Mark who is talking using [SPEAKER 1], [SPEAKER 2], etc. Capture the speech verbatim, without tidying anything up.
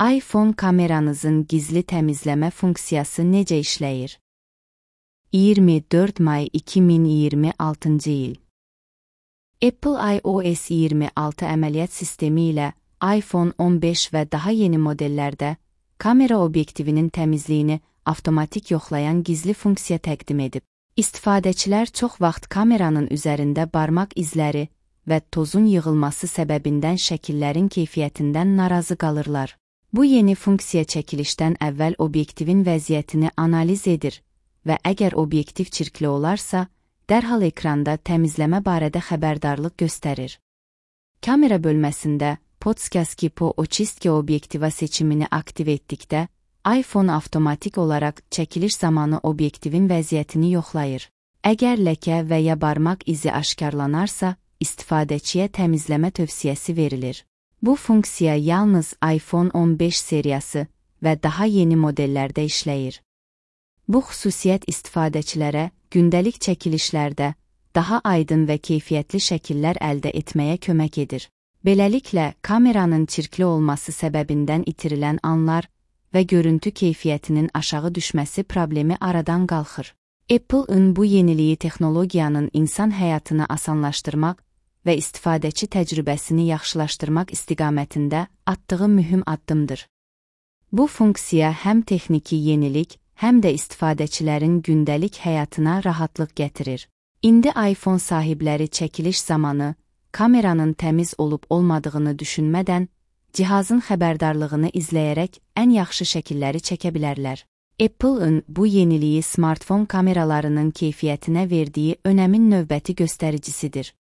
[SPEAKER 1] iPhone kameranızın gizli təmizləmə funksiyası necə işləyir? iyirmi dörd may iki min iyirmi altıncı il. Apple iOS iyirmi altı əməliyyat sistemi ilə iPhone on beş və daha yeni modellərdə kamera obyektivinin təmizliyini avtomatik yoxlayan gizli funksiya təqdim edib. İstifadəçilər çox vaxt kameranın üzərində barmaq izləri və tozun yığılması səbəbindən şəkillərin keyfiyyətindən narazı qalırlar. Bu yeni funksiya çəkilişdən əvvəl obyektivin vəziyyətini analiz edir və əgər obyektiv çirkli olarsa, dərhal ekranda təmizləmə barədə xəbərdarlıq göstərir. Kamera bölməsində Podskaski po oçistki obyektiva seçimini aktiv etdikdə, iPhone avtomatik olaraq çəkiliş zamanı obyektivin vəziyyətini yoxlayır. Əgər ləkə və ya barmaq izi aşkarlanarsa, istifadəçiyə təmizləmə tövsiyəsi verilir. Bu funksiya yalnız iPhone on beş seriyası və daha yeni modellərdə işləyir. Bu xüsusiyyət istifadəçilərə gündəlik çəkilişlərdə daha aydın və keyfiyyətli şəkillər əldə etməyə kömək edir. Beləliklə, kameranın çirkli olması səbəbindən itirilən anlar və görüntü keyfiyyətinin aşağı düşməsi problemi aradan qalxır. Apple-ın bu yeniliyi texnologiyanın insan həyatını asanlaşdırmaq və istifadəçi təcrübəsini yaxşılaşdırmaq istiqamətində atdığı mühüm addımdır. Bu funksiya həm texniki yenilik, həm də istifadəçilərin gündəlik həyatına rahatlıq gətirir. İndi iPhone sahibləri çəkiliş zamanı kameranın təmiz olub-olmadığını düşünmədən, cihazın xəbərdarlığını izləyərək ən yaxşı şəkilləri çəkə bilərlər. Apple-ın bu yeniliyi smartfon kameralarının keyfiyyətinə verdiyi önəmin növbəti göstəricisidir.